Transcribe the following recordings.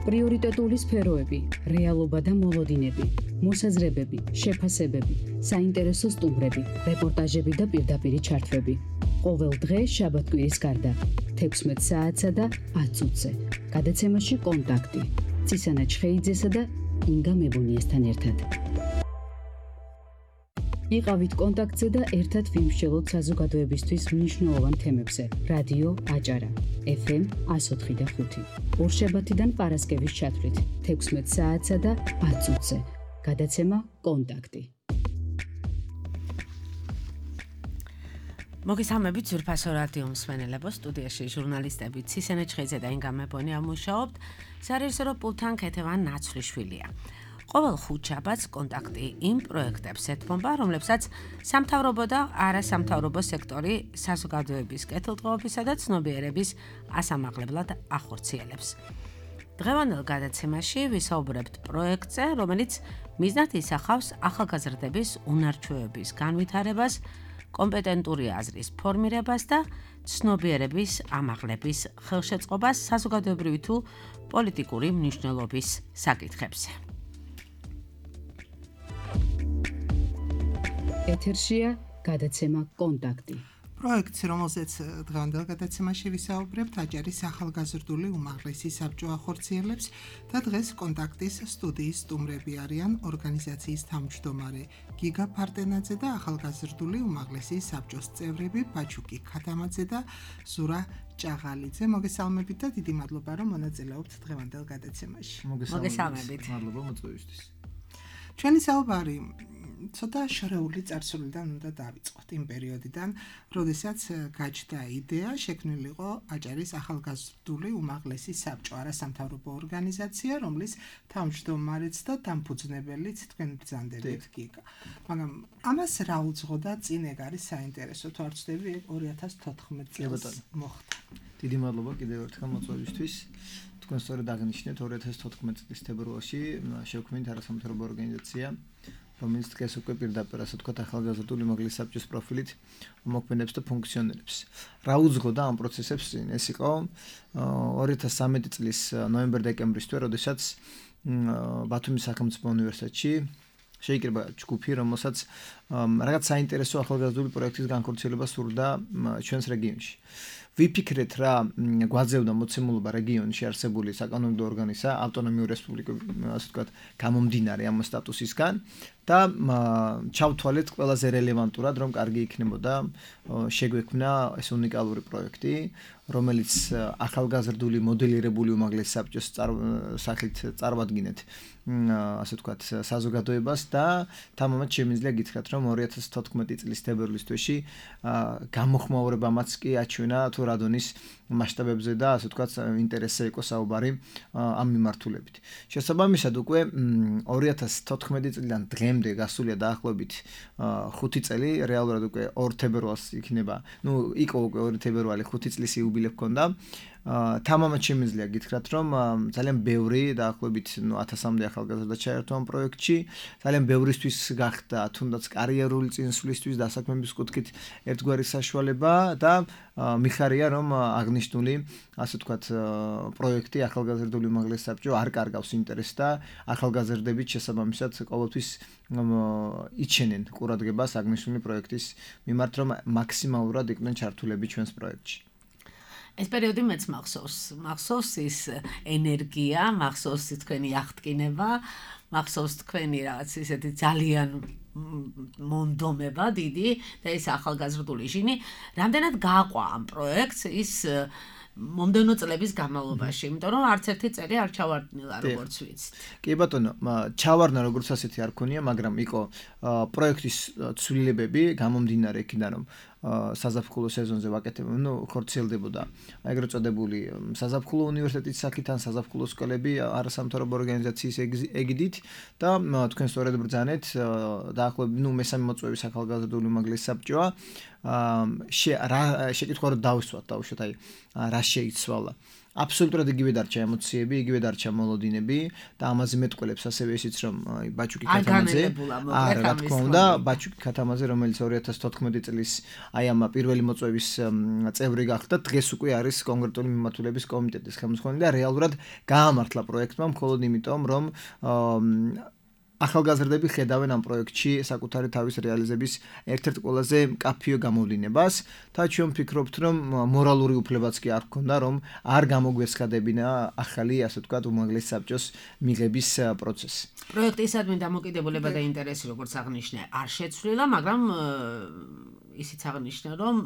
პრიორიტეტული სფეროები, რეალობა და მოლოდინები, მოსაზრებები, შეფასებები, საინტერესო სტუმრები, რეპორტაჟები და პირდაპირი ჩართვები. ყოველ დღე შაბათ-კვირის გარდა 16 საათსა და 10 წუთზე. გადაცემაში კონტაქტი. ცისანა ჩხეიძესა და ინგა მებონიესთან ერთად. იყავით კონტაქტზე და ერთად ვიმსჯელოთ საზოგადოებისთვის მნიშვნელოვან თემებზე. რადიო აჭარა, FM 104.5. ორშაბათიდან პარასკევის ჩათვლით 16 საათსა და 10 წუთზე. გადაცემა კონტაქტი. მოგესალმებით ძვირფასო რადიო მსმენელებო, სტუდიაში ჟურნალისტები ცისანა ჩხეიძე და ინგა მებონია მუშაობთ. სარეჟისორო პულტთან ქეთევან ნაცვლიშვილია. ყოველ ხუთშაბათს კონტაქტი იმ პროექტებს ეთმობა, რომლებსაც სამთავრობო და არასამთავრობო სექტორი საზოგადოების კეთილდღეობისა და ცნობიერების ასამაღლებლად ახორციელებს. დღევანდელ გადაცემაში ვისაუბრებთ პროექტზე, რომელიც მიზნად ისახავს ახალგაზრდების უნარჩვევების განვითარებას, კომპეტენტური აზრის ფორმირებას და ცნობიერების ამაღლების ხელშეწყობას საზოგადოებრივი თუ პოლიტიკური მნიშვნელობის საკითხებზე. ეთერშია გადაცემა კონტაქტი. პროექტს, რომელზეც დღევანდელ გადაცემაში ვისაუბრებთ, აჭარის ახალგაზრდული უმაღლესი საბჭო ახორციელებს და დღეს კონტაქტის სტუდიის სტუმრები არიან ორგანიზაციის თავმჯდომარე გიგა ფარტენაძე და ახალგაზრდული უმაღლესი საბჭოს წევრები ბაჩუკი ქათამაძე და ზურა ჭაღალიძე. მოგესალმებით და დიდი მადლობა, რომ მონაწილეობთ დღევანდელ გადაცემაში. მოგესალმებით. მადლობა მოწვევისთვის. ჩვენი საუბარი ცოტა შერეული წარსულიდან უნდა დავიწყოთ, იმ პერიოდიდან, როდესაც გაჩნდა იდეა შექმნილიყო აჭარის ახალგაზრდული უმაღლესი საბჭო, არასამთავრობო ორგანიზაცია, რომლის თავმჯდომარეც და დამფუძნებელიც თქვენ ბრძანდებით გიგა. მაგრამ ამას რა უძღოდა წინ, ეგ არის საინტერესო, თუ არ ვცდები, 2014 წელს მოხდა. დიდი მადლობა კიდევ ერთხელ მოწვევისთვის. თქვენ სწორედ აღნიშნეთ 2014 წლის თებერვალში შევქმნით არასამთავრობო ორგანიზაცია, რომელიც დღეს უკვე პირდაპირ ასე ვთქვათ ახალგაზრდული უმაღლესი საბჭოს პროფილით მოქმედებს და ფუნქციონირებს. რა უძღოდა ამ პროცესებს წინ? ეს იყო 2013 წლის ნოემბერ-დეკემბრის თვე, როდესაც ბათუმის სახელმწიფო უნივერსიტეტში შეიკრიბა ჯგუფი, რომელსაც რაღაც საინტერესო ახალგაზრდული პროექტის განხორციელება სურდა ჩვენს რეგიონში. ვიფიქრეთ რა გვაძევდა მოცემულობა რეგიონში არსებული საკანონმდებლო ორგანისა, ავტონომიური რესპუბლიკების, ასე ვთქვათ, გამომდინარე ამ სტატუსისგან და ჩავთვალეთ ყველაზე რელევანტურად, რომ კარგი იქნებოდა შეგვექმნა ეს უნიკალური პროექტი, რომელიც ახალგაზრდული მოდელირებული უმაღლესი საბჭოს სახით წარვადგინეთ, ასე ვთქვათ, საზოგადოებას და თამამად შემიძლია გითხრათ, რომ 2014 წლის თებერვლის თვეში გამოხმაურებამაც კი აჩვენა თუ რადონის მასშტაბებზე და ასე ვთქვათ ინტერესზე იყო საუბარი ამ მიმართულებით. შესაბამისად უკვე 2014 წლიდან დღემდე გასულია დაახლოებით 5 წელი, რეალურად უკვე 2 თებერვალს იქნება, იყო უკვე 2 თებერვალი 5 წლის იუბილე ჰქონდა. თამამად შემიძლია გითხრათ, რომ ძალიან ბევრი დაახლოებით 1000-მდე ახალგაზრდა ჩაერთო ამ პროექტში, ძალიან ბევრისთვის გახდა თუნდაც კარიერული წინსვლისთვის დასაქმების კუთხით ერთგვარი საშუალება და მიხარია, რომ აღნიშნული, ასე ვთქვათ, პროექტი ახალგაზრდული უმაღლესი საბჭო არ კარგავს ინტერესს და ახალგაზრდებით შესაბამისად ყოველთვის იჩენენ ყურადღებას აღნიშნული პროექტის მიმართ, რომ მაქსიმალურად იყვნენ ჩართულები ჩვენს პროექტში. ეს პერიოდი მეც მახსოვს ის ენერგია, მახსოვს თქვენი აღტკინება, მახსოვს თქვენი რაღაც ისეთი ძალიან მონდომება დიდი და ეს ახალგაზრდული ჟინი, რამდენად გააყვა ამ პროექტს ის მომდევნო წლების განმავლობაში, იმიტომ რომ არც ერთი წელი არ ჩავარდნილა, როგორც ვიცით. კი ბატონო, ჩავარდნა როგორც ასეთი არ ქონია, მაგრამ იყო პროექტის ცვლილებები გამომდინარე იქიდან, რომ საზაფხულო სეზონზე ვაკეთებდა, ხორციელდებოდა ეგრეთ წოდებული საზაფხულო უნივერსიტეტის სახით ან საზაფხულო სკოლები არასამთავრობო ორგანიზაციის ეგიდით და თქვენ სწორედ ბრძანეთ დაახლოებით მესამე მოწვევის ახალგაზრდული უმაღლესი საბჭოა. შეკითხვა რომ დავისვათ, აი რა შეიცვალა. აბსოლუტურად იგივე დარჩა ემოციები, იგივე დარჩა მოლოდინები და ამაზე მეტყველებს ასევე ისიც რომ ბაჩუკი ქათამაძე არა რა თქმა უნდა ბაჩუკი ქათამაძე რომელიც 2014 წლის აი ამ პირველი მოწვევის წევრი გახდა დღეს უკვე არის კონკრეტული მიმართულების კომიტეტის ხელმძღვანელი და რეალურად გაამართლა პროექტმა მხოლოდ იმიტომ რომ ახალგაზრდები ხედავენ ამ პროექტში საკუთარი თავის რეალიზების ერთ-ერთ ყველაზე მკაფიო გამოვლინებას და ჩვენ ვფიქრობთ რომ მორალური უფლებაც კი არ გქონდა რომ არ გამოგვესხადებინა ახალი ასე ვთქვათ უმაღლესი საბჭოს მიღების პროცესი. პროექტისადმი დამოკიდებულება და ინტერესი როგორც აღნიშნე არ შეცვლილა, მაგრამ ისიც აღნიშნა რომ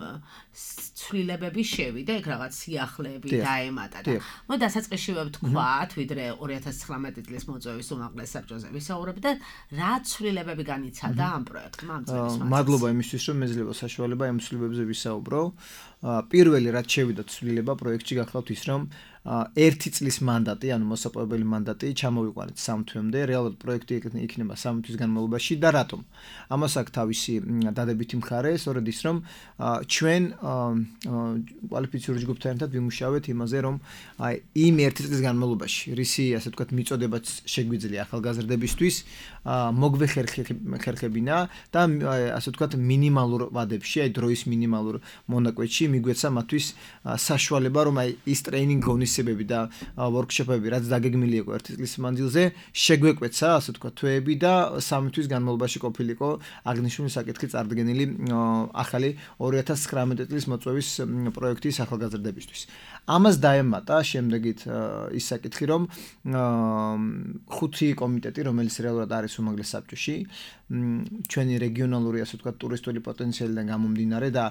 ცვლილებები შევიდა, ეგ რაღაც სიახლეები დაემატა და მო დასაწყისშივე ვთქვათ, ვიდრე 2019 წლის მოწვევის უმაღლეს საბჭოზე ვისაუბრებ და რა ცვლილებები განიცადა ამ პროექტმა ამ წელს. მადლობა იმისთვის რომ მეძლევა საშუალება ამ ცვლილებებზე ვისაუბრო. პირველი რაც შევიდა ცვლილება პროექტში გახლავთ ის რომ 1 წლის მანდატი, ანუ მოსაპოვებელი მანდატი ჩამოვიყვანეთ 3 თვემდე, რეალურად პროექტი იქნება 3 თვის განმავლობაში და რატომ? ამას აქვს თავისი დადებითი მხარე, სწორედ ის რომ ჩვენ კვალიფიციური ჯგუფთან ერთად ვიმუშავეთ იმაზე, რომ აი იმ 1 წლის განმავლობაში, რისი ასე ვთქვათ მიწოდებაც შეგვიძლია ახალგაზრდებისთვის, მოგვეხერხებინა და ასე ვთქვათ მინიმალურ ვადებში, აი დროის მინიმალურ მონაკვეთში მიგვეცა მათთვის საშუალება, რომ აი ის ტრეინინგ ღონისძიებები და ვორქშოპები, რაც დაგეგმილი იყო 1 წლის მანძილზე, შეგვეკვეცა, ასე ვთქვათ, თვეები და 3 თვის განმავლობაში ყოფილიყო აღნიშნული საკითხი წარდგენილი ახალი 2019 წლის მოწვევის პროექტის ახალგაზრდებისთვის. ამას დაემატა შემდეგით ის საკითხი, რომ 5 კომიტეტი, რომელიც რეალურად არის უმაღლეს საბჭოში, ჩვენი რეგიონალური, ასე ვთქვათ, ტურისტული პოტენციალიდან გამომდინარე და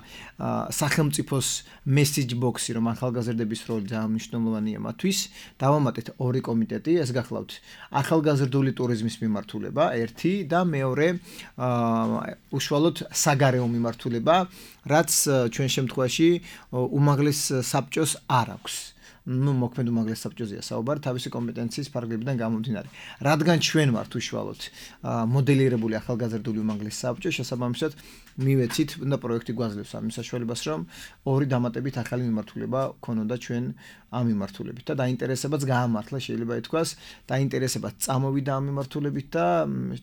სახელმწიფოს message box-ი, რომ ახალგაზრდების როლი ძალიან მნიშვნელოვანია მათთვის, დავამატეთ 2 კომიტეტი, ეს გახლავთ ახალგაზრდული ტურიზმის მიმართულება, 1 და მეორე უშუალოდ საგარეო მიმართულება, რაც ჩვენ შემთხვევაში უმაღლეს საბჭოს არ აქვს. მოქმედ უმაღლეს საბჭოზეა საუბარი თავისი კომპეტენციის ფარგლებიდან გამომდინარე. რადგან ჩვენ ვართ უშუალოდ მოდელირებული ახალგაზრდული უმაღლეს საბჭო, შესაბამისად მივეცით და პროექტი გვაძლევს ამ საშუალებას, რომ 2 დამატებით ახალი მიმართულება ქონოდა ჩვენ ამ მიმართულებით და დაინტერესებაც გაამართლა, შეიძლება ითქვას, დაინტერესებაც წამოვიდა ამ მიმართულებით და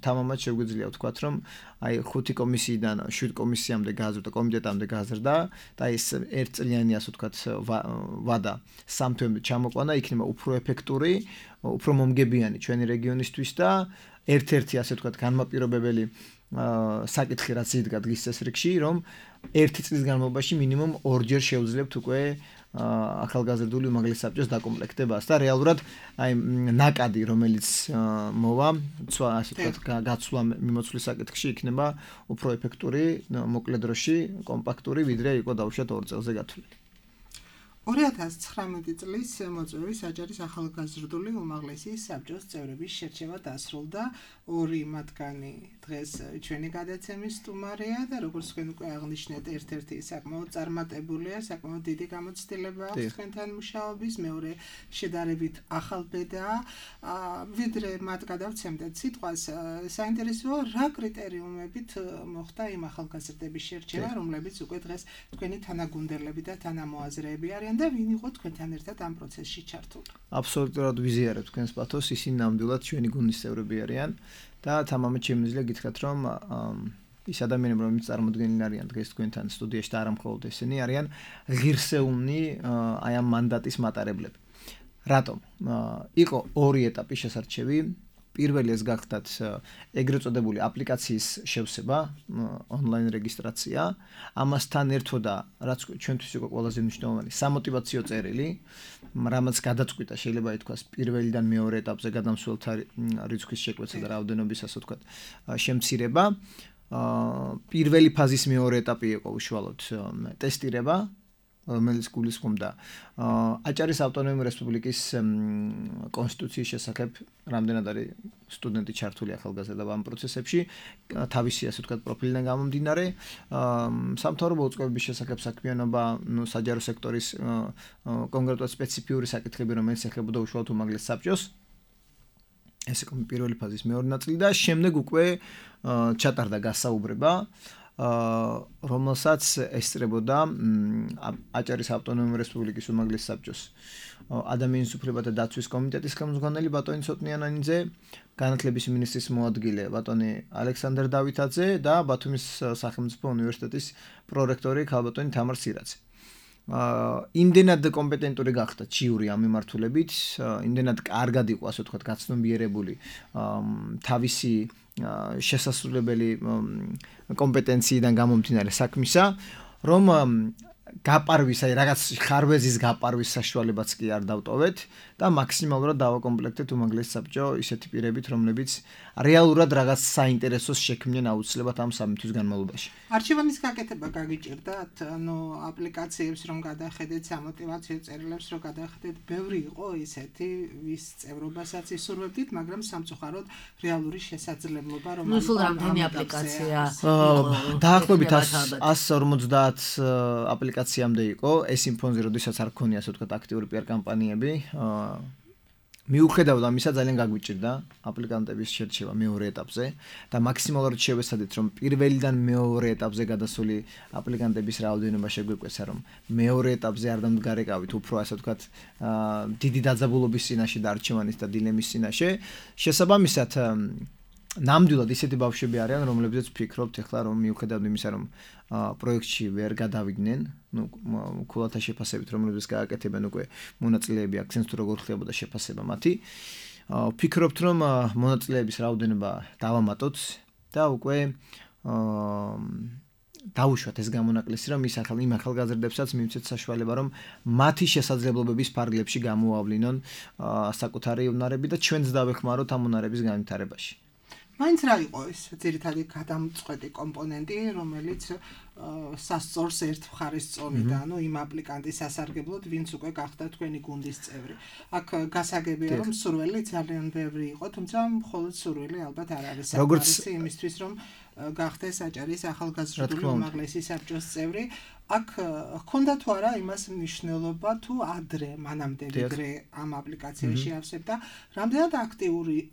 თამამად შეგვიძლია ვთქვათ, რომ აი 5 კომისიიდან 7 კომისიამდე გააზრდა, კომიტეტამდე გააზრდა და ეს 1 წლიანი ასე ვთქვათ ვადა 3 თვემდე ჩამოყვანა, იქნება უფრო ეფექტური, უფრო მომგებიანი ჩვენი რეგიონისთვის და ერთ-ერთი ასე ვთქვათ განმაპირობებელი საკითხი რაც იდგა დღის წესრიგში, რომ 1 წლის განმავლობაში მინიმუმ 2-ჯერ შევძლებთ უკვე ახალგაზრდული უმაღლეს საბჭოს დაკომპლექტებას და რეალურად აი ნაკადი რომელიც მოვა, ასე ვთქვათ, გაცვლა მიმოცვლის საკითხში იქნება უფრო ეფექტური, მოკლე დროში, კომპაქტური, ვიდრე იყო დაუშვათ 2 წელზე გათვლილი. 2019 წლის მოწვევის აჯარის ახალგაზრდული უმაღლესი საბჭოს წევრების შერჩევა დასრულდა. 2 მათგანი დღეს ჩვენი გადაცემის სტუმარია და როგორც თქვენ უკვე აღნიშნეთ, ერთ-ერთი საკმაოდ წარმატებულია, საკმაოდ დიდი გამოცდილება აქვს თქვენთან მუშაობის, მეორე შედარებით ახალბედაა. ვიდრე მათ გადავცემდეთ სიტყვას, საინტერესოა რა კრიტერიუმებით მოხდა იმ ახალგაზრდების შერჩევა, რომლებიც უკვე დღეს თქვენი თანაგუნდელები და თანამოაზრეები არიან და ვინ იყო თქვენთან ერთად ამ პროცესში ჩართული? აბსოლუტურად ვიზიარებ თქვენს პათოს, ისინი ნამდვილად ჩვენი გუნდის წევრები არიან და თამამად შემიძლია გითხრათ, რომ ის ადამიანები, რომლებიც წარმოდგენილი არიან დღეს თქვენთან სტუდიაში და არა მხოლოდ ესენი არიან ღირსეულნი აი ამ მანდატის მატარებლები. რატომ? იყო 2 ეტაპი შესარჩევი. პირველი ეს გახდათ ეგრეთ წოდებული აპლიკაციის შევსება, ონლაინ რეგისტრაცია. ამასთან ერთოდა, რაც ჩვენთვის იყო ყველაზე მნიშვნელოვანი, სამოტივაციო წერილი, რამაც გადაწყვიტა, შეიძლება ითქვას, პირველიდან მეორე ეტაპზე გადამსვლელთა რიცხვის შეკვეცა და რაოდენობის, ასე ვთქვათ, შემცირება. პირველი ფაზის მეორე ეტაპი იყო უშუალოდ ტესტირება, რომელიც გულისხმობდა აჭარის ავტონომიური რესპუბლიკის კონსტიტუციის შესახებ, რამდენად არის სტუდენტი ჩართული ახალგაზრდა ამ პროცესებში, თავისი ასე ვთქვათ პროფილიდან გამომდინარე, სამთავრობო უწყებების შესახებ საქმიანობა, საჯარო სექტორის კონკრეტულად სპეციფიური საკითხები, რომელიც ეხებოდა უშუალოდ უმაღლეს საბჭოს. ეს იყო პირველი ფაზის მეორე ნაწილი და შემდეგ უკვე ჩატარდა გასაუბრება რომელსაც ესწრებოდა აჭარის ავტონომიური რესპუბლიკის უმაღლესი საბჭოს ადამიანის უფლებათა დაცვის კომიტეტის ხელმძღვანელი ბატონი ცოტნიანანიძე, განათლების მინისტრის მოადგილე ბატონი ალექსანდრ დავითაძე და ბათუმის სახელმწიფო უნივერსიტეტის პრორექტორი ქალბატონი თამარ სირაძე. იმდენად კომპეტენტური გახდა ჩიური ამ მიმართულებით, იმდენად კარგად იყო ასე ვთქვათ გაცნობიერებული თავისი შესასრულებელი კომპეტენციიდან გამომდინარე საქმისა, რომ გაპარვის, აი რაღაც ხარვეზის გაპარვის საშუალებაც კი არ დავტოვეთ და მაქსიმალურად დავაკომპლექტეთ უმაღლესი საბჭო ისეთი პირებით, რომლებიც რეალურად რაღაც საინტერესოს შექმნიან აუცილებლად ამ სამი თვის განმავლობაში. არჩევანის გაკეთება გაგიჭირდათ, ანუ აპლიკაციებს რომ გადახედეთ, სამოტივაციო წერილებს რომ გადახედეთ, ბევრი იყო ისეთი, ვის წევრობასაც ისურვებდით, მაგრამ სამწუხაროდ რეალური შესაძლებლობა რომ სულ რამდენი აპლიკაცია დაახლოებით 150 აპლიკაციამდე იყო ეს იმ ფონზე, როდესაც არ ქონია ასე ვთქვათ აქტიური PR კამპანიები. მიუხედავად ამისა ძალიან გაგვიჭირდა აპლიკანტების შერჩევა მეორე ეტაპზე და მაქსიმალურად შევეცადეთ რომ პირველიდან მეორე ეტაპზე გადასული აპლიკანტების რაოდენობა შეგვეკვეცა რომ მეორე ეტაპზე არ დამდგარეკავით უფრო ასე ვთქვათ დიდი დაძაბულობის წინაშე და არჩევანის და დილემის წინაშე შესაბამისად ნამდვილად ისეთი ბავშვები არიან რომლებზეც ვფიქრობთ ახლა რომ მიუხედავად იმისა რომ პროექტში ვერ გადავიდნენ, ქულათა შეფასებით რომლებზეც გააკეთებენ უკვე მონაწილეები აქცენტს თუ როგორ ხდებოდა შეფასება მათი. ვფიქრობთ რომ მონაწილეების რაოდენობა დავამატოთ და უკვე დაუშვათ ეს გამონაკლისი რომ იმ ახალგაზრდებსაც მივცეთ საშუალება რომ მათი შესაძლებლობების ფარგლებში გამოავლინონ საკუთარი უნარები და ჩვენც დავეხმაროთ ამ უნარების განვითარებაში. მაინც რა იყო ეს ძირითადი გადამწყვეტი კომპონენტი, რომელიც სასწორს ერთ მხარეს წონიდა, ანუ იმ აპლიკანტის სასარგებლოდ, ვინც უკვე გახდა თქვენი გუნდის წევრი. აქ გასაგებია რომ სურვილი ძალიან ბევრი იყო, თუმცა მხოლოდ სურვილი ალბათ არ არის საკმარისი იმისთვის, რომ გახდეს აჭარის ახალგაზრდული უმაღლესი საბჭოს წევრი. აქ ჰქონდა თუ არა იმას მნიშვნელობა თუ ადრე, მანამდე ვიდრე ამ აპლიკაციაში ავსებდა, რამდენად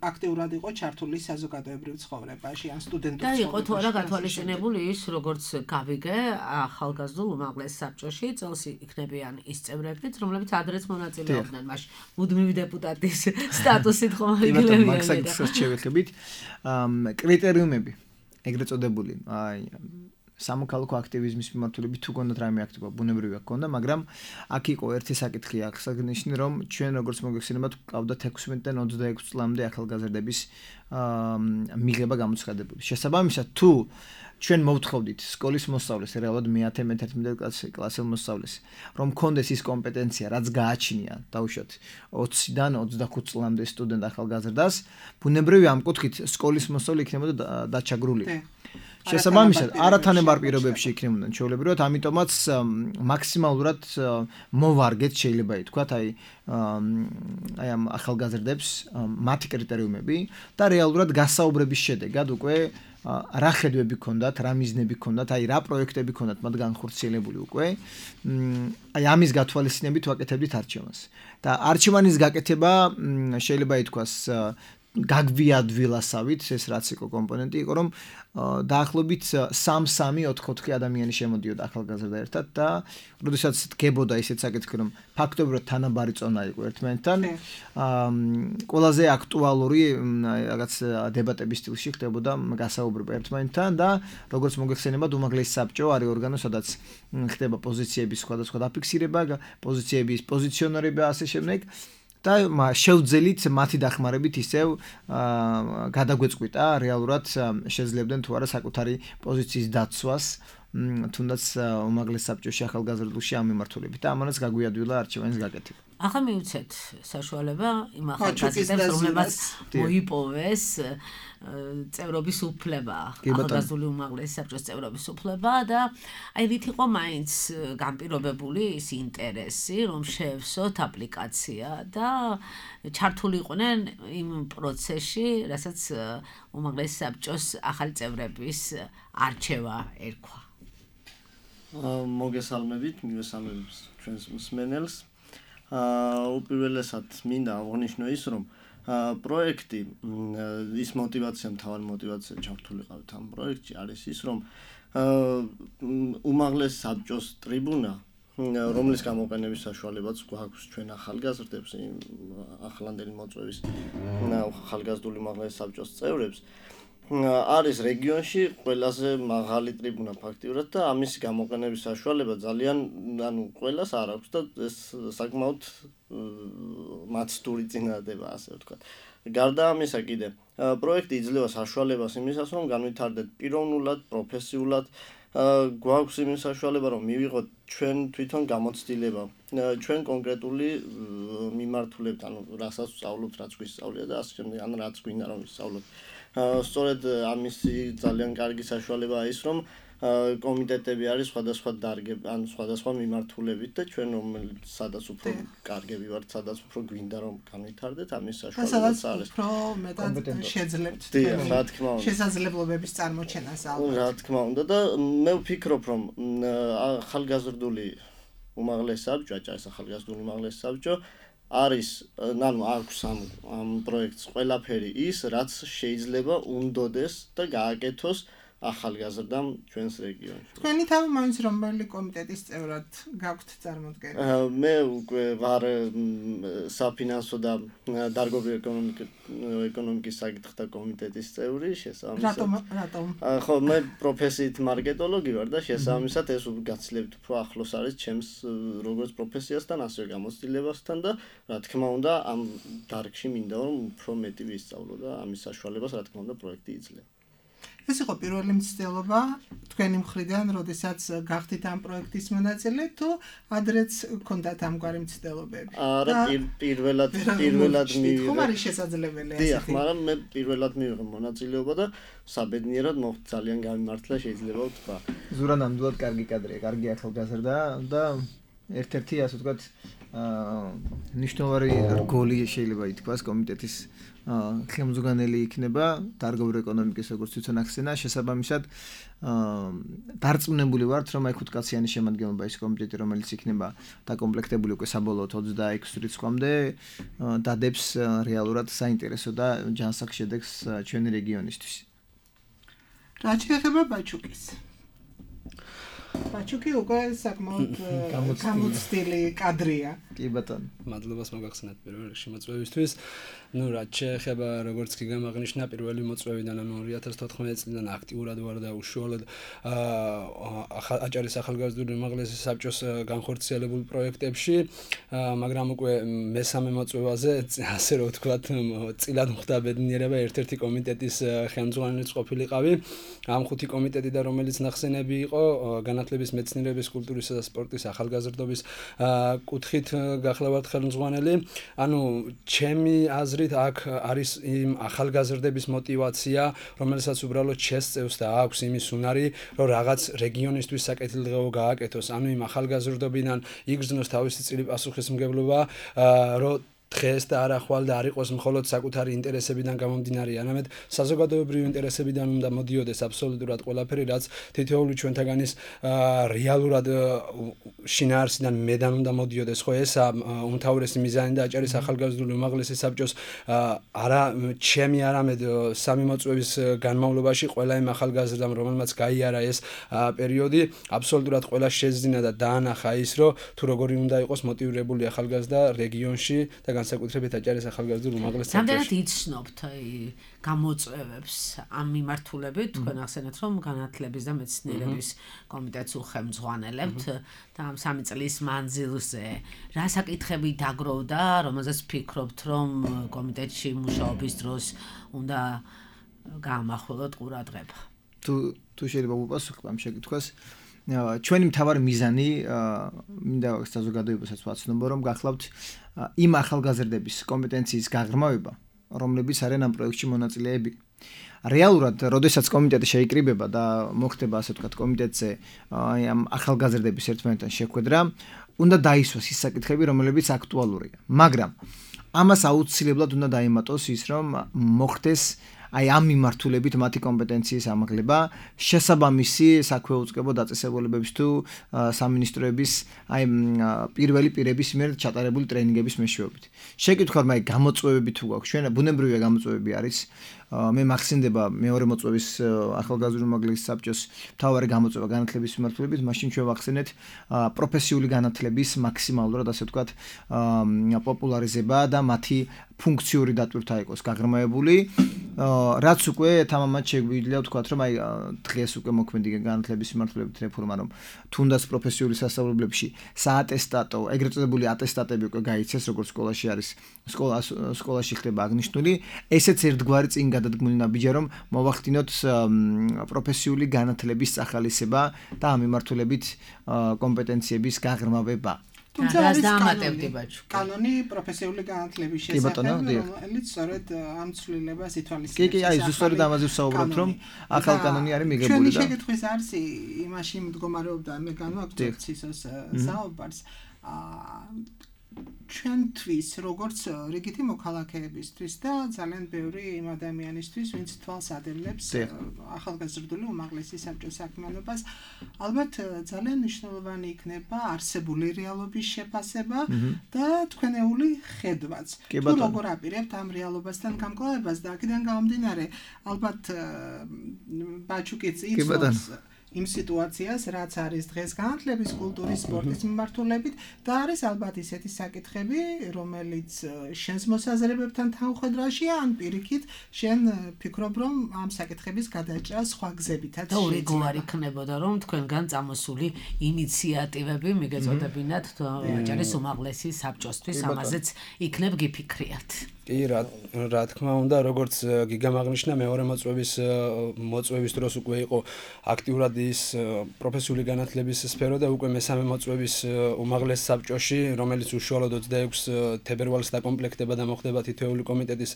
აქტიურად იყო ჩართული საზოგადოებრივ ცხოვრებაში, ან სტუდენტურ ცხოვრებაში. და იყო თუ არა გათვალისწინებული ის, როგორც გავიგე, ახალგაზრდულ უმაღლეს საბჭოში წელს იქნებიან ის წევრებიც, რომლებიც ადრეც მონაწილეობდნენ მაშინ მუდმივი დეპუტატის სტატუსით ხომ იგივე. მაქსაკის შევეხებით კრიტერიუმები ეგრეთ წოდებული სამოქალაქო აქტივიზმის მიმართულებით თუ გონდათ რაიმე აქტივობა ბუნებრივია გქონდა, მაგრამ აქ იყო ერთი საკითხი აღსანიშნავი, რომ ჩვენ როგორც მოგეხსენებათ, ყავდათ 16-დან 26 წლამდე ახალგაზრდების მიღება გამოცხადებული. შესაბამისად, თუ ჩვენ მოვთხოვდით სკოლის მოსწავლეს, რეალურად მე-10-11 კლასელ მოსწავლეს, რომ მქონდეს ის კომპეტენცია, რაც გააჩნია, დაუშვათ 20-დან 25 წლამდე სტუდენტ ახალგაზრდას, ბუნებრივია ამ კუთხით სკოლის მოსწავლე იქნებოდა დაჩაგრული. შესაბამისად, არათანაბარ პირობებში იქნებოდნენ ჩვეულებრივად, ამიტომაც მაქსიმალურად მოვარგეთ შეიძლება ითქვათ, აი ამ ახალგაზრდებს მათი კრიტერიუმები და რეალურად გასაუბრების შედეგად უკვე რა ხედვები ჰქონდათ, რა მიზნები ჰქონდათ, აი რა პროექტები ჰქონდათ მათ განხორციელებული უკვე. აი ამის გათვალისწინებით ვაკეთებდით არჩევანს. და არჩევანის გაკეთება შეიძლება ითქვას გაგვიადვილასავით, ეს რაც იყო კომპონენტი იყო, რომ დაახლოებით 3-4 ადამიანი შემოდიოდა ახალგაზრდა ერთად და როდესაც დგებოდა ისეთ საკითხი, რომ ფაქტობრივად თანაბარი წონა იყო ერთმანეთთან, ყველაზე აქტუალური რაღაც დებატების სტილში ხდებოდა გასაუბრება ერთმანეთთან და როგორც მოგეხსენებათ, უმაღლესი საბჭო არის ორგანო, სადაც ხდება პოზიციების სხვადასხვა დაფიქსირება, პოზიციების პოზიციონირება ასე შემდეგ. და შევძელით მათი დახმარებით ისევ გადაგვეწყვიტა რეალურად შეძლებდნენ თუ არა საკუთარი პოზიციის დაცვას თუნდაც უმაღლეს საბჭოში ახალგაზრდულში ამ მიმართულებით და ამანაც გაგვიადვილა არჩევანის გაკეთება. ახლა მივცეთ საშუალება იმ ახალგაზრდებს, რომლებსაც მოიპოვეს წევრობის უფლება, ახალგაზრდული უმაღლესი საბჭოს წევრობის უფლება და აი რით იყო მაინც განპირობებული ის ინტერესი, რომ შეევსოთ აპლიკაცია და ჩართული იყვნენ იმ პროცესში, რასაც უმაღლესი საბჭოს ახალი წევრების არჩევა ერქვა. მოგესალმებით, მივესალმებით ჩვენს მსმენელს. უპირველესად მინდა აღვნიშნო ის, რომ პროექტი ის მოტივაცია, მთავარი მოტივაცია ჩართულიყავით ამ პროექტში არის ის, რომ უმაღლეს საბჭოს ტრიბუნა, რომლის გამოყენების საშუალებაც გვაქვს ჩვენ ახალგაზრდებს, ახლანდელი მოწვევის ახალგაზრდული უმაღლეს საბჭოს წევრებს, არის რეგიონში ყველაზე მაღალი ტრიბუნა ფაქტიურად და ამის გამოყენების საშუალება ძალიან ყველას არ აქვს და ეს საკმაოდ მაცდური წინადადება, ასე ვთქვათ. გარდა ამისა კიდე პროექტი იძლევა საშუალებას იმისას, რომ განვითარდეთ პიროვნულად, პროფესიულად, გვაქვს იმის საშუალება, რომ მივიღოთ ჩვენ თვითონ გამოცდილება, ჩვენ კონკრეტული მიმართულებით, ანუ რასაც ვსწავლობთ, რაც გვისწავლია და ასე შემდეგ, ან რაც გვინდა რომ ვისწავლოთ. სწორედ ამისი ძალიან კარგი საშუალებაა ის, რომ კომიტეტები არის სხვადასხვა დარგები, ან სხვადასხვა მიმართულებით და ჩვენ სადაც უფრო კარგები ვართ, სადაც უფრო გვინდა რომ განვითარდეთ, ამის საშუალებაც არის. უფრო მეტად შეძლებთ რა თქმა უნდა. შესაძლებლობების წარმოჩენას ალბათ. რა თქმა უნდა და მე ვფიქრობ, რომ ახალგაზრდული უმაღლესი საბჭო, აჭარის ახალგაზრდული უმაღლესი საბჭო არის, აქვს ამ პროექტს ყველაფერი ის, რაც შეიძლება უნდოდეს და გააკეთოს ახალგაზრდამ ჩვენს რეგიონში. თქვენი თავი მაინც რომელი კომიტეტის წევრად გაქვთ წარმოდგენა? მე უკვე ვარ საფინანსო და დარგობრივი ეკონომიკის საკითხთა კომიტეტის წევრი, შესაბამისად. რატომ? ხო, მე პროფესიით მარკეტოლოგი ვარ და შესაბამისად ეს გაცილებით უფრო ახლოს არის ჩემს როგორც პროფესიასთან, ასევე გამოცდილებასთან და რა თქმა უნდა ამ დარგში მინდა რომ უფრო მეტი ვისწავლო და ამის საშუალებას რა თქმა უნდა პროექტი იძლევა. ეს იყო პირველი მცდელობა თქვენი მხრიდან, როდესაც გახდით ამ პროექტის მონაწილე, თუ ადრეც გქონდათ ამგვარი მცდელობები? არა, პირველად მივიღე. ხომ არის შესაძლებელი ასეთი? დიახ, მაგრამ მე პირველად მივიღე მონაწილეობა და საბედნიერად ძალიან გამიმართლა შეიძლება ვთქვა. ზურა ნამდვილად კარგი კადრია, კარგი ახალგაზრდა და ერთ-ერთი ასე ვთქვათ ნიშნავარი რგოლი შეიძლება ითქვას კომიტეტის ხელმძღვანელი იქნება დარგობრივი ეკონომიკის როგორც თვითონ ახსენა, შესაბამისად დარწმუნებული ვართ, რომ აი 5 კაციანი შემადგენლობა ის კომიტეტი, რომელიც იქნება დაკომპლექტებული უკვე საბოლოოდ 26 რიცხვამდე, დადებს რეალურად საინტერესო და ჯანსაღ შედეგს ჩვენი რეგიონისთვის. რა შეიძლება ბაჩუკის? ბაჩუკი უკვე საკმაოდ გამოცდილი კადრია. კი ბატონო. მადლობას მოგახსენეთ პირველ რიგში მოწვევისთვის. რაც შეეხება როგორც კი გამაღნიშნა პირველი მოწვევიდან, ანუ 2014 წლიდან აქტიურად ვარ და უშუალოდ აჭარის ახალგაზრდული უმაღლესი საბჭოს განხორციელებულ პროექტებში, მაგრამ უკვე მესამე მოწვევაზე, ასე რომ ვთქვათ, წილად მხდა ბედნიერება ერთ-ერთი კომიტეტის ხელმძღვანელიც ყოფილიყავი. ამ 5 კომიტეტი და რომელიც ნახსენები იყო განათლების, მეცნიერების, კულტურისა და სპორტის ახალგაზრდობის კუთხით გახლავართ ხელმძღვანელი. ანუ ჩემი აზრით აქ არის იმ ახალგაზრდების мотиваცია, რომელსაც უბრალოდ შესწევს და აქვს იმის უნარი, რომ რაღაც რეგიონისთვის საკეთილდღეო გააკეთოს. ანუ იმ ახალგაზრდობიდან იგრძნოს თავისი წილი პასუხისმგებლობა, რომ დღეს და არა ხვალ და არ იყოს მხოლოდ საკუთარი ინტერესებიდან გამომდინარე, არამედ საზოგადოებრივი ინტერესებიდან უნდა მოდიოდეს აბსოლუტურად ყველაფერი, რაც თითოეული ჩვენთაგანის რეალურად შინაარსიდან მედან უნდა მოდიოდეს. ხო, ეს უმთავრესი მიზანი და აჭარის ახალგაზრდული უმაღლესი საბჭოს არა ჩემი, არამედ სამი მოწვევის განმავლობაში ყველა იმ ახალგაზრდამ, რომელმაც გაიარა ეს პერიოდი, აბსოლუტურად ყველა შეძინა და დაანახა ის, რომ თუ როგორი უნდა იყოს მოტივირებული ახალგაზრდა რეგიონში და განსაკუთრებით აჭარის ახალგაზრდულ უმაღლეს საბჭოში. რამდენად იცნობთ გამოწვევებს ამ მიმართულებით, თქვენ ახსენეთ, რომ განათლების და მეცნიერების კომიტეტს უხელმძღვანელებთ და ამ 3 წლის მანძილზე რა საკითხები დაგროვდა, რომელზეც ფიქრობთ, რომ კომიტეტში მუშაობის დროს უნდა გაამახვილოთ ყურადღება? თუ შეიძლება უპასუხო ამ შეკითხვას, ჩვენი მთავარი მიზანი მინდა საზოგადოებასაც ვაცნობო, რომ გახლავთ იმ ახალგაზრდების კომპეტენციის გაღრმავება, რომლებიც არიან ამ პროექტში მონაწილეები. რეალურად, როდესაც კომიტეტი შეიკრიბება და მოხდება ასე ვთქვათ კომიტეტზე ამ ახალგაზრდების ერთმანეთთან შეხვედრა, უნდა დაისვას ის საკითხები, რომლებიც აქტუალურია. მაგრამ ამას აუცილებლად უნდა დაემატოს ის, რომ მოხდეს აი ამ მიმართულებით მათი კომპეტენციის ამაღლება, შესაბამისი საქვეუწყებო დაწესებულებების თუ სამინისტროების აი პირველი პირების მიერ ჩატარებული ტრენინგების მეშვეობით. შეკითხვა მე გამოწვევები თუ გვაქვს, ჩვენ ბუნებრივია გამოწვევები არის. მე მახსენდება მეორე მოწვევის ახალგაზრდული უმაღლესი საბჭოს მთავარი გამოწვევა განათლების მიმართულებით, მაშინ ჩვენ ვახსენეთ პროფესიული განათლების მაქსიმალურად ასე ვთქვათ პოპულარიზება და მათი ფუნქციური დატვირთვა იყოს გაღრმავებული, რაც უკვე თამამად შეგვიძლია ვთქვათ, რომ აი დღეს უკვე მოქმედი განათლების მიმართულებით რეფორმა, რომ თუნდაც პროფესიული სასწავლებლებში საატესტატო, ეგრეთ წოდებული ატესტატები უკვე გაიცეს, როგორც სკოლაში არის, სკოლაში ხდება აღნიშნული, ესეც ერთგვარი წინ გადადგმული ნაბიჯია, რომ მოვახდინოთ პროფესიული განათლების სახალისება და ამ მიმართულებით კომპეტენციების გაღრმავება. თუმცა არის კანონი პროფესიული განათლების შესახებ, რომელიც სწორედ ამ ცვლილებას ითვალისწინებს. კი, აი ზუსტად ამაზე ვსაუბრობთ, რომ ახალ კანონი არის მიღებული და ჩვენი შეკითხვის არცი იმაში მდგომარეობდა, მე განვაგრძობ ცისოს საუბარს. ჩვენთვის როგორც რიგითი მოქალაქეებისთვის და ძალიან ბევრი იმ ადამიანისთვის, ვინც თვალს ადევნებს ახალგაზრდული უმაღლესი საბჭოს საქმიანობას, ალბათ ძალიან მნიშვნელოვანი იქნება არსებული რეალობის შეფასება და თქვენეული ხედვაც. თუ როგორ აპირებთ ამ რეალობასთან გამკლავებას და აქედან გამომდინარე, ალბათ ბაჩუკიც იცავს იმ სიტუაციას, რაც არის დღეს განათლების, კულტურის, სპორტის მიმართულებით და არის ალბათ ისეთი საკითხები, რომელიც შენს მოსაზრებებთან თანხმობაშია, ან პირიქით შენ ფიქრობ, რომ ამ საკითხების გადაჭრა სხვა გზებითაც და ორი გვარი იქნებოდა, რომ თქვენგან წამოსული ინიციატივები მიგეწოდებინათ აჭარის უმაღლესი საბჭოსთვის, ამაზეც იქნებ გიფიქრიათ. კი, რა თქმა უნდა, როგორც გიგამაღნიშნა მეორე მოწვევის დროს უკვე იყო აქტიურად ის პროფესიული განათლების სფერო და უკვე მესამე მოწვევის უმაღლეს საბჭოში, რომელიც უშუალოდ 26 თებერვალს დაკომპლექტება და მოხდება თითოეული კომიტეტის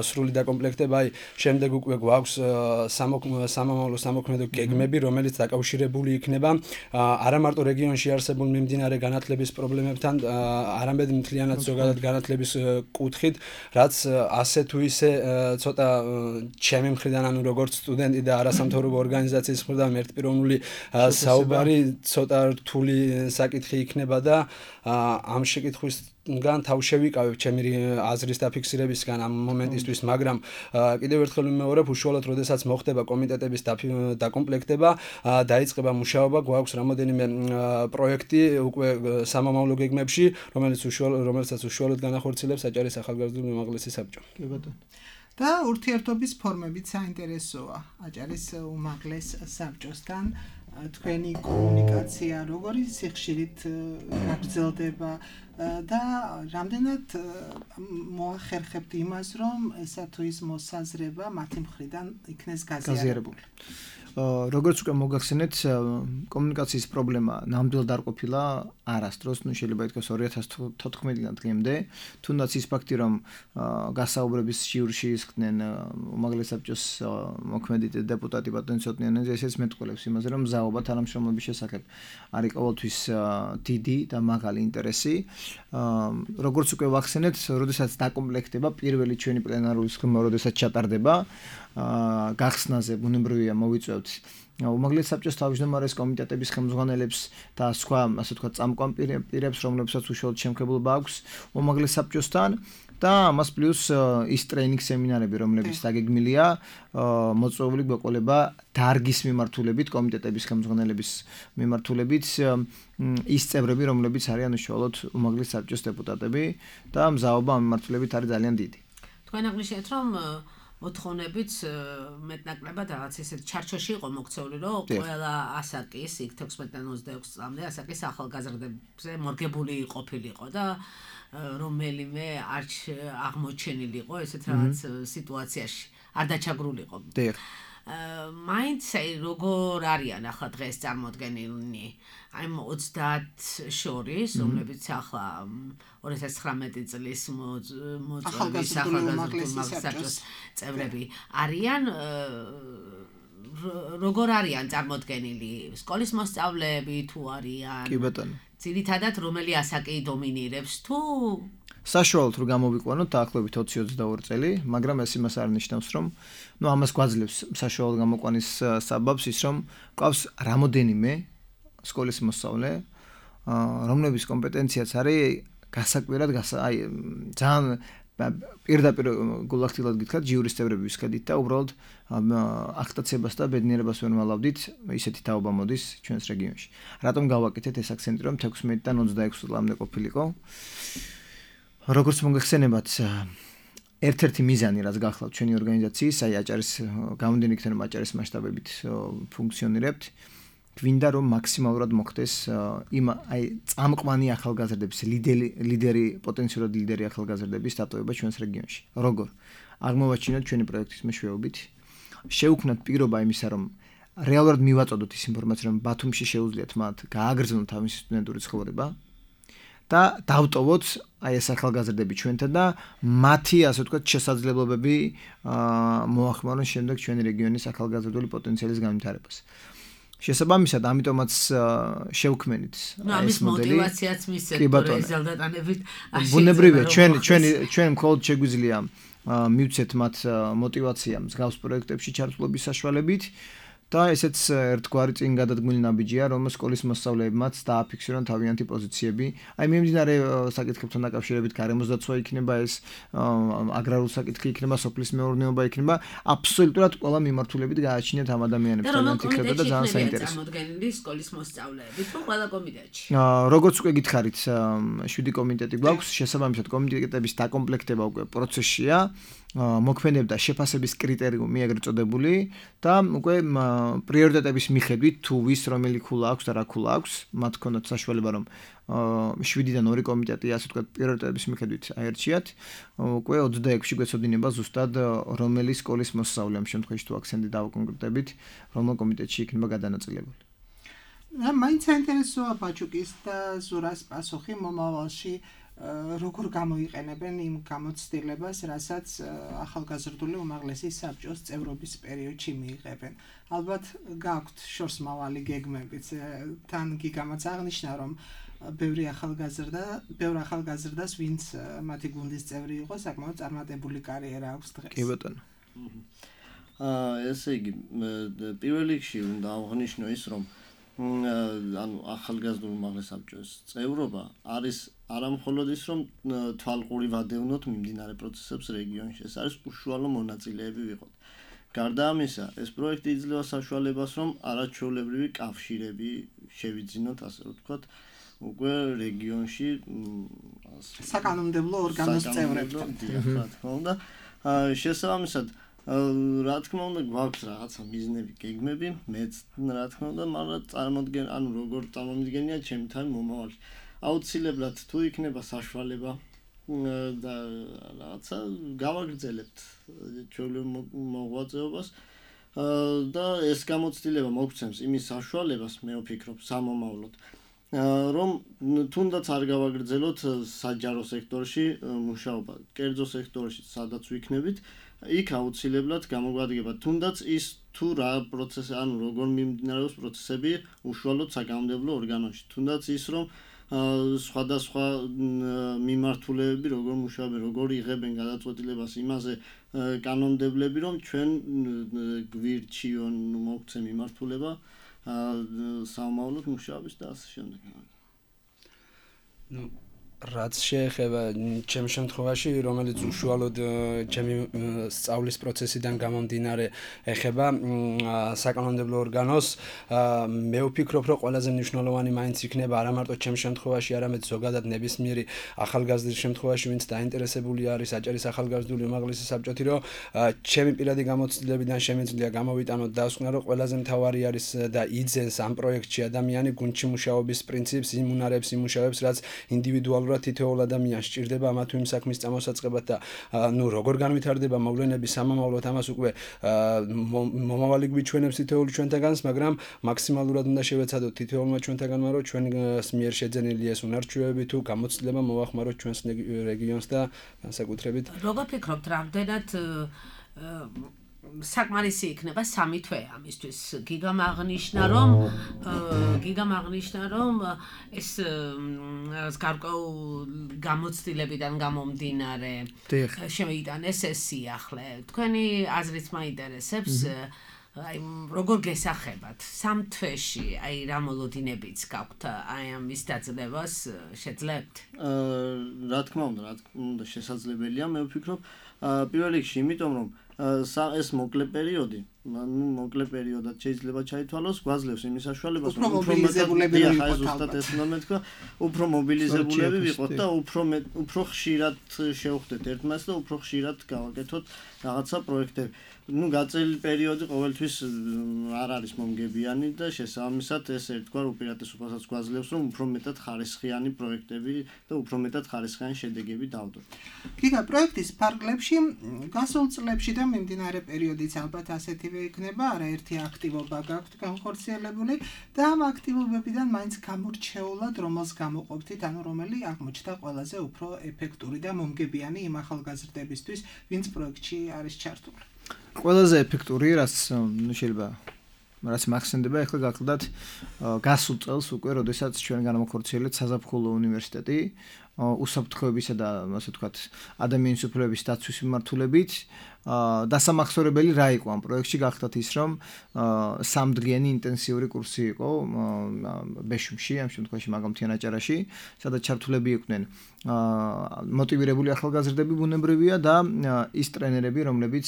სრული დაკომპლექტება. აი, შემდეგ უკვე გვაქვს სამომავლო სამოქმედო გეგმები, რომელიც დაკავშირებული იქნება არა მარტო რეგიონში არსებულ მიმდინარე განათლების პრობლემებთან, არამედ მთლიანად ზოგადად განათლების კუთხით, რაც ასე თუ ისე ცოტა ჩემი მხრიდან, ანუ როგორც სტუდენტი და არასამთავრობო ორგანიზაციის მხრიდან ერთპიროვნული საუბარი ცოტა რთული საკითხი იქნება და ამ შეკითხვისგან თავ შევიკავებ ჩემი აზრის დაფიქსირებისგან ამ მომენტისთვის, მაგრამ კიდევ ერთხელ ვიმეორებ, უშუალოდ როდესაც მოხდება კომიტეტების დაკომპლექტება, დაიწყება მუშაობა, გვაქვს რამოდენიმე პროექტი უკვე სამომავლო გეგმებში, რომელსაც უშუალოდ განახორციელებს აჭარის ახალგაზრდული უმაღლესი საბჭო. და ურთიერთობის ფორმებით საინტერესოა აჭარის უმაღლეს საბჭოსთან თქვენი კომუნიკაცია როგორი სიხშირით გაგრძელდება და რამდენად მოახერხებთ იმას, რომ ესა თუ ის მოსაზრება მათი მხრიდან იქნეს გაზიარებული. როგორც უკვე მოგახსენეთ, კომუნიკაციის პრობლემა ნამდვილად არ ყოფილა არასდროს, შეიძლება ითქვას 2014-დან დღემდე, თუნდაც ის ფაქტი, რომ გასაუბრების ჟიურში ისხდნენ უმაღლეს საბჭოს მოქმედი დეპუტატი ბატონი ცოტნიანიძე, ესეც მეტყველებს იმაზე, რომ მზაობა თანამშრომლობის შესახებ არის ყოველთვის დიდი და მაღალი ინტერესი. როგორც უკვე ვახსენეთ, როდესაც დაკომპლექტება პირველი ჩვენი პლენარული სხდომა, როდესაც ჩატარდება, გახსნაზე ბუნებრივია მოვიწევთ უმაღლეს საბჭოს თავმჯდომარეს კომიტეტების ხელმძღვანელებს და სხვა, ასე ვთქვათ, წამყვან პირებს, რომლებსაც უშუალოდ შემქებელობა აქვს უმაღლეს საბჭოსთან და ამას პლუს ის ტრეინინგ სემინარები, რომლებიც დაგეგმილია, მოწვეული გვეყოლება დარგის მიმართულებით, კომიტეტების ხელმძღვანელების მიმართულებით ის წევრები, რომლებიც არიან უშუალოდ უმაღლეს საბჭოს დეპუტატები და მზაობა ამ მიმართულებით არის ძალიან დიდი. თქვენ აღნიშნეთ, რომ მოთხოვნებით მეტნაკლებად რაღაც ისეთ ჩარჩოში იყო მოქცეული, რომ ყველა ასაკის იქ 16-დან 26 წლამდე ასაკის ახალგაზრდებზე მორგებული ყოფილიყო და რომელიმე არ აღმოჩენილიყო ესეთ რაღაც სიტუაციაში, არ დაჩაგრულიყო. მაინც როგორ არიან ახლა დღეს წარმოდგენილნი აი 30 შორის, რომლებიც ახლა 2019 წლის მოწვევის ახალგაზრდული საბჭოს წევრები არიან, როგორ არიან წარმოდგენილი, სკოლის მოსწავლეები თუ არიან? კი ბატონო. ძირითადად რომელი ასაკი დომინირებს თუ საშუალოდ რომ გამოვიყვანოთ დაახლოებით 20-22 წელი, მაგრამ ეს იმას არ ნიშნავს, რომ ამას გვაძლევს საშუალოდ გამოყვანის საბაბს ის, რომ გვყავს რამოდენიმე სკოლის მოსწავლე, რომლების კომპეტენციაც არის გასაკვირად ძალიან პირდაპირ გულახდილად გითხრათ ჯიურის წევრები ვისქედით და უბრალოდ აქტაციებას და ბედნიერებას ვერ ვალავდით, ისეთი თაობა მოდის ჩვენს რეგიონში. რატომ გავაკეთეთ ეს აქცენტი, რომ 16-დან 26 წლამდე ყოფილიყო? როგორც მოგეხსენებათ, ერთ-ერთი მიზანი, რაც გახლავთ ჩვენი ორგანიზაციის, აი აჭარის გამომდინარე იქიდან, რომ აჭარის მასშტაბებით ფუნქციონირებთ, გვინდა რომ მაქსიმალურად მოხდეს იმ აი წამყვანი ახალგაზრდების ლიდერი პოტენციურად ლიდერი ახალგაზრდების დატოვება ჩვენს რეგიონში. როგორ? აღმოვაჩინოთ ჩვენი პროექტის მეშვეობით, შევქმნათ პირობა იმისა, რომ რეალურად მივაწოდოთ ის ინფორმაცია, რომ ბათუმში შეუძლიათ მათ გააგრძელონ თავისი სტუდენტური ცხოვრება და დავტოვოთ აი ეს ახალგაზრდები ჩვენთან და მათი ასე ვთქვათ შესაძლებლობები მოახმარონ შემდეგ ჩვენი რეგიონის ახალგაზრდული პოტენციალის განვითარებას. შესაბამისად, ამიტომაც შევქმნით ეს მოტივაციაც მისცეთ რეზულტატანებით. ბუნებრივია, ჩვენ მხოლოდ შეგვიძლია მივცეთ მათ მოტივაცია მსგავს პროექტებში ჩართულობის საშუალებით და ესეც ერთგვარი წინ გადადგმული ნაბიჯია, რომ სკოლის მოსწავლეებმაც დააფიქსირონ თავიანთი პოზიციები. აი მიმდინარე საკითხებთან დაკავშირებით გარემოს დაცვა იქნება ეს, აგრარული საკითხი იქნება, სოფლის მეურნეობა იქნება, აბსოლუტურად ყველა მიმართულებით გააჩინეთ ამ ადამიანებს თავიანთი ხრება და ძალიან საინტერესო. წარმოდგენილი სკოლის მოსწავლეები თუ ყველა კომიტეტში. როგორც უკვე გითხარით, 7 კომიტეტი გვაქვს, შესაბამისად კომიტეტების დაკომპლექტება უკვე პროცესშია. მოქმედებდა შეფასების კრიტერიუმი ეგრეთ წოდებული და უკვე პრიორიტეტების მიხედვით თუ ვის რომელი ქულა აქვს და რა ქულა აქვს, მათ ქონდათ საშუალება რომ 7-დან 2 კომიტეტი ასე ვთქვათ პრიორიტეტების მიხედვით აერჩიათ, უკვე 26-ში გვეცოდინება ზუსტად რომელი სკოლის მოსწავლე ამ შემთხვევაში თუ აქცენტი დავაკონკრეტებით, რომელ კომიტეტში იქნება გადანაწილებული. მაინც საინტერესოა ბაჩუკის და ზურას პასუხი მომავალში როგორ გამოიყენებენ იმ გამოცდილებას, რასაც ახალგაზრდული უმაღლესი საბჭოს წევრობის პერიოდში მიიღებენ. ალბათ გაქვთ შორსმავალი გეგმებიც. თან გიგამაც აღნიშნა, რომ ბევრ ახალგაზრდას, ვინც მათი გუნდის წევრი იყო, საკმაოდ წარმატებული კარიერა აქვს დღეს. კი ბატონო. ესე იგი, პირველ რიგში უნდა აღვნიშნო ის, რომ ანუ ახალგაზრდული უმაღლესი საბჭოს წევრობა არის არამხოლოდ ის, რომ თვალყური ვადევნოთ მიმდინარე პროცესებს რეგიონში. ეს არის უშუალო მონაწილეები ვიყოთ. გარდა ამისა, ეს პროექტი იძლევა საშუალებას, რომ არაჩვეულებრივი კავშირები შევიძინოთ, ასე ვთქვათ, უკვე რეგიონში საკანონმდებლო ორგანოს წევრებთან. რა თქმა უნდა, შესაბამისად რა თქმა უნდა გვაქვს რაღაცა მიზნები, გეგმები, მეც რა თქმა უნდა, მაგრამ როგორ წარმომიდგენია ჩემი თან მომავალში. აუცილებლად თუ იქნება საშუალება და რაღაცა გავაგრძელებთ ჩვეულებრივ მოღვაწეობას და ეს გამოცდილება მოგცემს იმის საშუალებას, მე ვფიქრობ, სამომავლოდ, რომ თუნდაც არ გავაგრძელოთ საჯარო სექტორში მუშაობა, კერძო სექტორში სადაც ვიქნებით, იქ აუცილებლად გამოგვადგება თუნდაც ის თუ რა პროცესი, ანუ როგორ მიმდინარეობს პროცესები უშუალოდ საკანონმდებლო ორგანოში, თუნდაც ის რომ სხვადასხვა მიმართულებები როგორ მუშაობენ, როგორ იღებენ გადაწყვეტილებას იმაზე კანონმდებლები, რომ ჩვენ გვირჩი მოგცემ მიმართულება სამომავლოდ მუშაობის და ასე შემდეგ. რაც შეეხება ჩემს შემთხვევაში, რომელიც უშუალოდ ჩემი სწავლის პროცესიდან გამომდინარე ეხება საკანონმდებლო ორგანოს, მე ვფიქრობ, რომ ყველაზე მნიშვნელოვანი მაინც იქნება არა მარტო ჩემს შემთხვევაში, არამედ ზოგადად ნებისმიერი ახალგაზრდის შემთხვევაში, ვინც დაინტერესებული არის აჭარის ახალგაზრდული უმაღლესი საბჭოთი, რომ ჩემი პირადი გამოცდილებიდან შემიძლია გამოვიტანოთ დასკვნა, რომ ყველაზე მთავარი არის და იძენს ამ პროექტში ადამიანი გუნდში მუშაობის პრინციპს იმუნარებს, იმუშავებს, რაც ინდივიდუალურად თითოეულ ადამიანს სჭირდება ამა თუ იმ საქმის წამოსაწყებად და როგორ განვითარდება მოვლენები სამომავლოდ, ამას უკვე მომავალი გვიჩვენებს თითოეული ჩვენთაგანს, მაგრამ მაქსიმალურად უნდა შევეცადოთ თითოეულმა ჩვენთაგანმა, რომ ჩვენს მიერ შეძენილი ეს უნარჩვევები თუ გამოცდილება მოვახმაროთ ჩვენს რეგიონს და განსაკუთრებით. როგორ ფიქრობთ, რამდენად საკმარისი იქნება 3 თვე ამისთვის. გიგამაღნიშნა რომ ეს გარკვეულ გამოცდილებიდან გამომდინარე შემოიტანეს ეს სიახლე. თქვენი აზრით მაინტერესებს აი როგორ გესახებათ 3 თვეში აი რა მოლოდინებიც გაქვთ აი ამის დაძლევას შეძლებთ? რა თქმა უნდა შესაძლებელია მე ვფიქრობ პირველ რიგში იმიტომ რომ ეს მოკლე პერიოდად შეიძლება ჩაითვალოს გვაძლევს იმის საშუალებას რომ უფრო მობილიზებულები ვიყოთ და უფრო ხშირად შევხვდეთ ერთმანეთს და უფრო ხშირად გავაკეთოთ რაღაცა პროექტები. გაწელი პერიოდი ყოველთვის არ არის მომგებიანი და შესაბამისად ეს ერთგვარ უპირატესობასაც გვაძლევს რომ უფრო მეტად ხარისხიანი პროექტები და უფრო მეტად ხარისხიანი შედეგები დავდოთ. გიგა პროექტის ფარგლებში გასულ წლებში და მიმდინარე პერიოდიც ალბათ ასეთივე იქნება, არაერთი აქტივობა გაქვთ განხორციელებული და ამ აქტივობებიდან მაინც გამორჩეულად რომელს გამოყოფთით, ანუ რომელი აღმოჩნდა ყველაზე უფრო ეფექტური და მომგებიანი იმ ახალგაზრდებისთვის, ვინც პროექტში არის ჩართული. ყველაზე ეფექტური რაც მახსენდება ახლა გახლდათ გასულ წელს უკვე როდესაც ჩვენ განამახორციელეთ საზაფხულო უნივერსიტეტი უსაფრთხოებისა და ასე ვთქვათ ადამიანის უფლებების დაცვის მიმართულებით დასამახსოვრებელი რა იყო ამ პროექტში გახლდათ ის რომ 3 დღიანი ინტენსიური კურსი იყო ბეშუმში ამ შემთხვევაში მაგომთიან აჭარაში სადაც ჩართულები იყვნენ მოტივირებული ახალგაზრდები ბუნებრივია და ის ტრენერები რომლებიც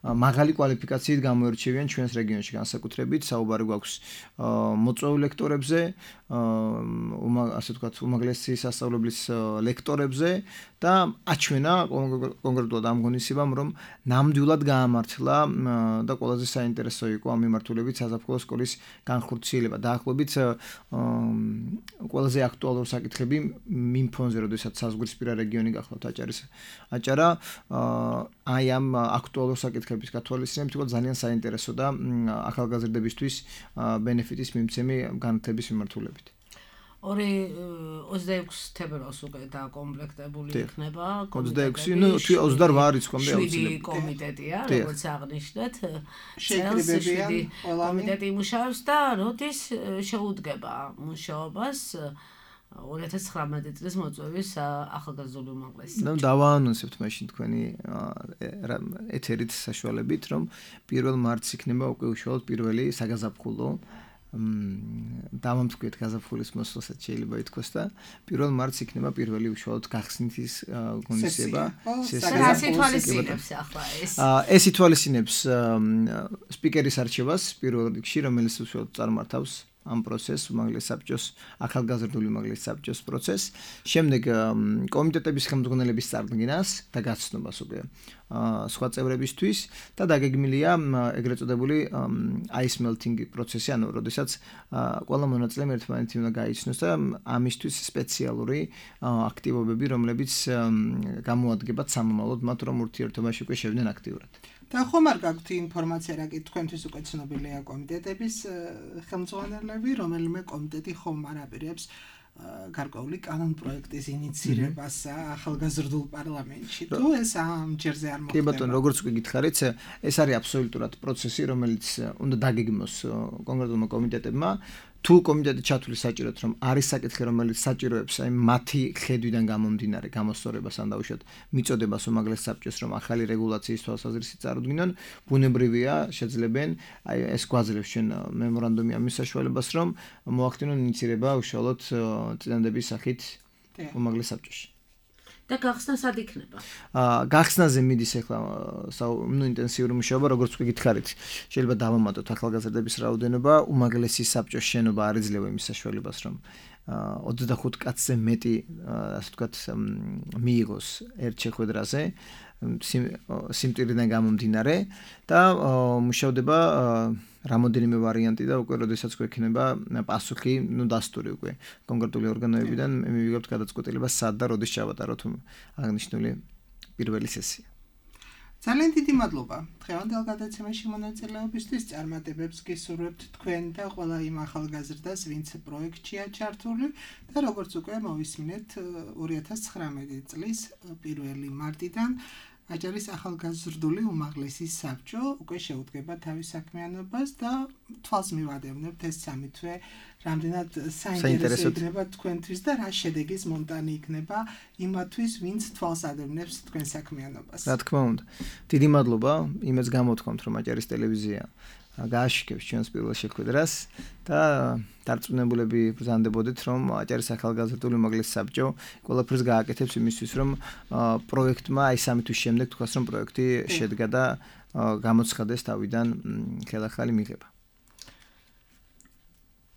მაღალი კვალიფიკაციით გამოირჩევიან ჩვენს რეგიონში განსაკუთრებით საუბარი გვაქვს მოწვეულ ლექტორებზე ასე ვთქვათ უმაღლესი სასწავლებლის ლექტორებზე და აჩვენა კონკრეტულად ამ ღონისძიებამ რომ ნამდვილად გაამართლა და ყველაზე საინტერესო იყო ამ მიმართულებით საზაფხულო სკოლის განხორციელება დაახლოებით ყველაზე აქტუალური საკითხები იმ ფონზე როდესაც საზღვრისპირა რეგიონი გახლავთ აჭარა აი ამ აქტუალურ საკითხების გათვალისწინებით იყო ძალიან საინტერესო და ახალგაზრდებისთვის ბენეფიტის მიმცემი განათლების მიმართულებით 26 თებერვალს უკვე დაკომპლექტებული იქნება 26 ნუ 28 არის კომიტეტი აუცილებლად კომიტეტია როგორც აღნიშნეთ შეკრებებიან კომიტეტი იმუშავებს და როდის შეუდგება მუშაობას 2019 წლის მოწვევის ახალგაზრდული უმაღლესი ნუ დავაანონსებთ მაშინ თქვენი ეთერით საშუალებით რომ 1 მარტს იქნება უკვე უშუალოდ პირველი საგაზაფხულო დამამტკივედ გაზაფხულის მოსვლასაც შეიძლება ითქვას და 1 მარტს იქნება პირველი უშუალოდ გახსნითის ღონისძიება ეს ითვალისწინებს სპიკერის არჩევას პირველ რიგში რომელიც უშუალოდ წარმართავს ამ პროცესს უმაღლეს საბჭოს ახალგაზრდული უმაღლეს საბჭოს პროცესს შემდეგ კომიტეტების ხელმძღვანელების წარდგენას და გაცნობას უკვე სხვა წევრებისთვის და დაგეგმილია ეგრეთ წოდებული ice melting პროცესი ანუ როდესაც ყველა მონაწილემ ერთმანეთი უნდა გაიცნოს და ამისთვის სპეციალური აქტივობები რომლებიც გამოადგებათ სამომავლოდ მათ რომ ურთიერთობაში უკვე შევდნენ აქტიურად და ხომ არ გაქვთ ინფორმაცია რა კი თქვენთვის უკვე ცნობილია კომიტეტების ხელმძღვანელები რომელიმე კომიტეტი ხომ არ აპირებს გარკვეული კანონ პროექტის ინიცირებას ახალგაზრდულ პარლამენტში თუ ეს ამ ჯერზე არ მოხდება კი ბატონო როგორც უკვე გითხარით ეს არის აბსოლუტურად პროცესი რომელიც უნდა დაგეგმოს კონკრეტულმა კომიტეტებმა თუ კომიტეტი ჩათვლი საჭიროთ რომ არის საკითხი რომელიც საჭიროებს აი მათი ხედვიდან გამომდინარე გამოსწორებას ან დაუშვათ მიწოდებას უმაღლეს საბჭოს რომ ახალი რეგულაციის თვალსაზრისით წარუდგინონ ბუნებრივია შეძლებენ აი ეს გვაძლევს ჩვენ მემორანდუმი ამის საშუალებას რომ მოახდინონ ინიცირება უშუალოდ წინადების სახით უმაღლეს საბჭოში და გახსნა სად იქნება? გახსნაზე მიდის ახლა ნუ ინტენსიური მუშაობა როგორც უკვე გითხარით შეიძლება დავამატოთ ახალგაზრდების რაოდენობა უმაღლესი საბჭოს შენობა არ იძლევა იმის საშუალებას რომ 25 კაცზე მეტი ასე ვთქვათ მიიღოს ერთ შეხვედრაზე სიმტირიდან გამომდინარე და მუშავდება რამოდენიმე ვარიანტი და უკვე როდესაც გვექნება პასუხი, ნუ დასტური უკვე კონკრეტული ორგანოებიდან მე მივიღებთ გადაწყვეტილებას სად და როდის ჩავატაროთ აღნიშნული პირველი სესია. ძალიან დიდი მადლობა. დღევანდელ გადაცემაში მონაწილეობისთვის წარმატებებს გისურვებთ თქვენ და ყველა იმ ახალგაზრდას, ვინც პროექტშია ჩართული და როგორც უკვე მოვისმინეთ 2019 წლის 1 მარტიდან აჭარის ახალგაზრდული უმაღლესი საბჭო უკვე შეუდგება თავის საქმიანობას და თვალს მივადევნებთ ეს სამი თვე რამდენად საინტერესო იქნება თქვენთვის და რა შედეგის მომტანი იქნება იმათვის, ვინც თვალს ადევნებს თქვენ საქმიანობას. რა თქმა უნდა. დიდი მადლობა იმეც გამოთქვამთ, რომ აჭარის ტელევიზია გააშიქებს ჩვენს პირველ შეხვედრას და დარწმუნებულები ბრძანდებოდით, რომ აჭარის ახალგაზრდული უმაღლესი საბჭო ყველაფერს გააკეთებს იმისთვის, რომ პროექტმა აი 3 თვის შემდეგ თქვას, რომ პროექტი შედგა და გამოცხადეს თავიდან ხელახალი მიღება.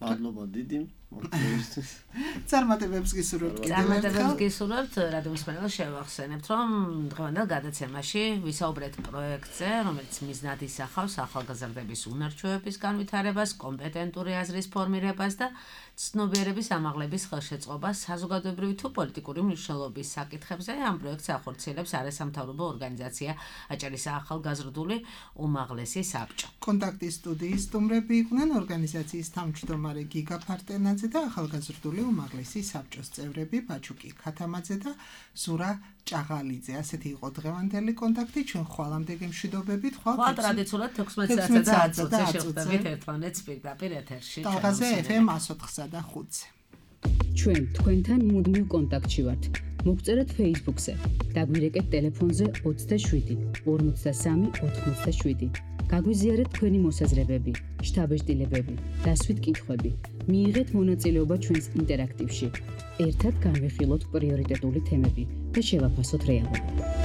მადლობა დიდი მოწვევისთვის. წარმატებებს გისურვებთ. წარმატებებს გისურვებთ, რადიოსმენელს შევახსენებთ, რომ დღევანდელ გადაცემაში ვისაუბრეთ პროექტზე, რომელიც მიზნად ისახავს ახალგაზრდების უნარჩვევების განვითარებას, კომპეტენტური აზრის ფორმირებას და ცნობიერების ამაღლების ხელშეწყობას საზოგადოებრივი თუ პოლიტიკური მნიშვნელობის საკითხებზე. ამ პროექტს ახორციელებს არასამთავრობო ორგანიზაცია აჭარის ახალგაზრდული უმაღლესი საბჭო. კონტაქტის სტუდიის სტუმრები იყვნენ ორგანიზაციის თავმჯდომარე გიგა ფარტენაძე და ახალგაზრდული უმაღლესი საბჭოს წევრები ბაჩუკი ქათამაძე და ზურა ჭაღალიძე. ასეთი იყო დღევანდელი კონტაქტი. ჩვენ ხვალამდე გემშვიდობებით. ხვალ ტრადიციულად 16 და 10-ზე შევხვდებით ერთმანეთს პირდაპირ ეთერში. ტალღაზე FM 104-სა და 5-ზე. ჩვენ თქვენთან მუდმივ კონტაქტში ვართ. მოგწერეთ Facebook-ზე. დაგვირეკეთ ტელეფონზე 27 53 87. გაგვიზიარეთ თქვენი მოსაზრებები, შთაბეჭდილებები, დასვით კითხვები. მიიღეთ მონაწილეობა ჩვენს ინტერაქტივში. ერთად განვიხილოთ პრიორიტეტული თემები და შევაფასოთ რეალობა.